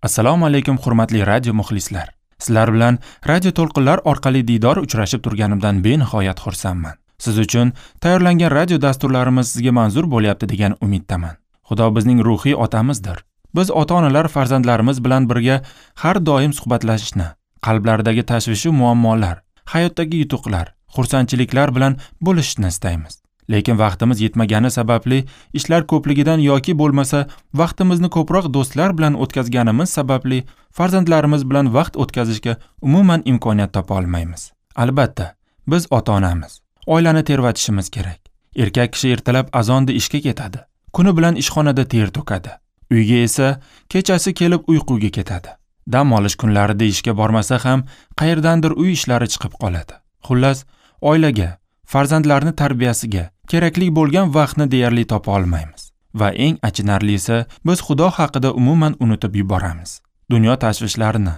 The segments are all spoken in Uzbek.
Assalomu alaykum hurmatli radio muxlislar. Sizlar bilan radio to'lqinlar orqali diydor uchrashib turganimdan benihoyat xursandman. Siz uchun tayyorlangan radio dasturlarimiz sizga manzur bo'lyapti degan umiddaman. Xudo bizning ruhiy otamizdir. Biz ota-onalar farzandlarimiz bilan birga har doim suhbatlashishni, qalblaridagi tashvish va muammolar, hayotdagi yutuqlar, xursandchiliklar bilan bo'lishishni istaymiz. Lekin vaqtimiz yetmagani sababli, ishlar ko'pligidan yoki bo'lmasa vaqtimizni ko'proq do'stlar bilan o'tkazganimiz sababli farzandlarimiz bilan vaqt o'tkazishga umuman imkoniyat topa olmaymiz. Albatta, biz ota-onamiz. Oilani tervatishimiz kerak. Erkak kishi ertalab azonda ishga ketadi. Kuni bilan ishxonada ter to'kadi. Uyga esa kechasi kelib uyquga ketadi. Dam olish kunlarida ishga bormasa ham qayerdandir uy ishlari chiqib qoladi. Xullas, oilaga, farzandlarni tarbiyasiga kerakli bo'lgan vaqtni deyarli topa olmaymiz. Va eng achinarlisi, biz Xudo haqida umuman unutib yuboramiz. Dunyo tashvishlarini,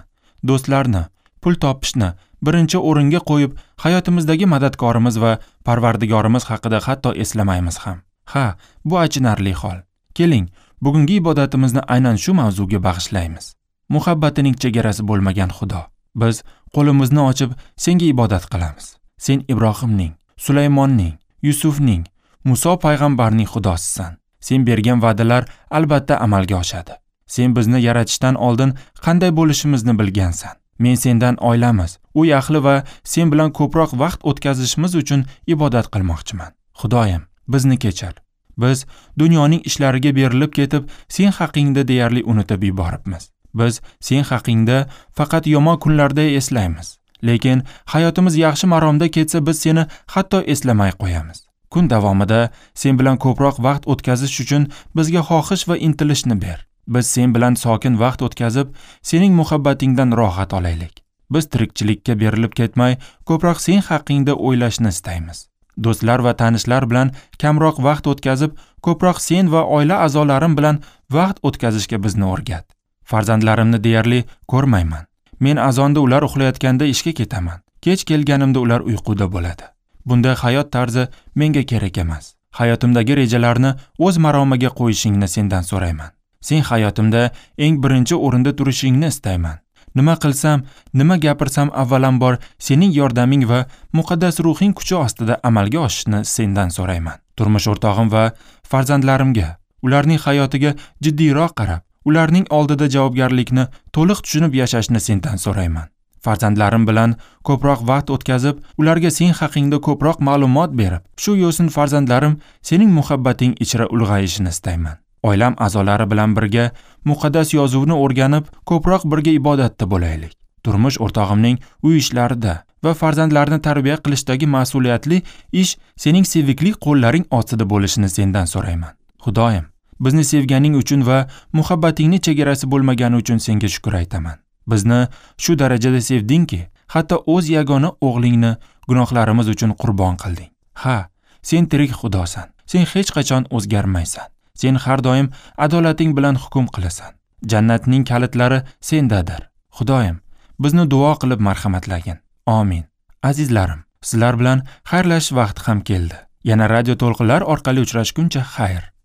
do'stlarni, pul topishni birinchi o'ringa qo'yib, hayotimizdagi madadkorimiz va Parvardigorimiz haqida hatto eslamaymiz ham. Ha, bu achinarli hol. Keling, bugungi ibodatimizni aynan shu mavzuga bag'ishlaymiz. Muhabbatining chegarasi bo'lmagan Xudo. Biz qo'limizni ochib senga ibodat qilamiz. Sen Ibrohimning, Sulaymonning, Yusufning, Muso payg'ambarning Xudosisan. Sen bergan va'dalar albatta amalga oshadi. Sen bizni yaratishdan oldin qanday bo'lishimizni bilgansan. Men sendan oilamiz, uy ahli va sen bilan ko'proq vaqt o'tkazishimiz uchun ibodat qilmoqchiman. Xudoyim, bizni kechir. Biz dunyoning ishlariga berilib ketib, sen haqingda deyarli unutib yuboribmiz. Biz sen haqingda faqat yomon kunlarda eslaymiz. Lekin hayotimiz yaxshi maromda ketsa, biz seni hatto eslamay qo'yamiz. Kun davomida sen bilan ko'proq vaqt o'tkazish uchun bizga xohish va intilishni ber. Biz sen bilan sokin vaqt o'tkazib, sening muhabbatingdan rohat olaylik. Biz tirikchilikka berilib ketmay, ko'proq sen haqingda o'ylashni istaymiz. Do'stlar va tanishlar bilan kamroq vaqt o'tkazib, ko'proq sen va oila a'zolarim bilan vaqt o'tkazishga bizni o'rgat. Farzandlarimni deyarli ko'rmayman. Men azonda ular uxlayotganda ishga ketaman. Kech kelganimda ular uyquda bo'ladi. Bunday hayot tarzi menga kerak emas. Hayotimdagi rejalarni o'z maromiga qo'yishingni sendan so'rayman. Sen hayotimda eng birinchi o'rinda turishingni istayman. Nima qilsam, nima gapirsam avvalambor sening yordaming va muqaddas ruhing kuchi ostida amalga oshishini sendan so'rayman. Turmush o'rtog'im va farzandlarimga, ularning hayotiga jiddiyroq qarab, ularning oldida javobgarlikni to'liq tushunib yashashni sendan so'rayman. Farzandlarim bilan ko'proq vaqt o'tkazib, ularga sen haqingda ko'proq ma'lumot berib, shu yo'sin farzandlarim sening muhabbating ichra ulg'ayishini istayman. Oilam a'zolari bilan birga muqaddas yozuvni o'rganib, ko'proq birga ibodatda bo'laylik. Turmush o'rtog'imning uy ishlarida va farzandlarni tarbiya qilishdagi mas'uliyatli ish sening sevikli qo'llaring ostida bo'lishini sendan so'rayman. Xudoyim, bizni sevganing uchun va muhabbatingni chegarasi bo'lmagani uchun senga shukr aytaman. Bizni shu darajada sevdingki, hatto o'z yagona o'g'lingni gunohlarimiz uchun qurbon qilding. Ha, sen tirik Xudosan. Sen hech qachon o'zgarmaysan. Sen har doim adolating bilan hukm qilasan. Jannatning kalitlari sendadir. Xudoyim, bizni duo qilib marhamatlagin. Amin. Azizlarim, sizlar bilan xayrlashish vaqti ham keldi. Yana radio to'lqinlar orqali uchrashguncha xayr.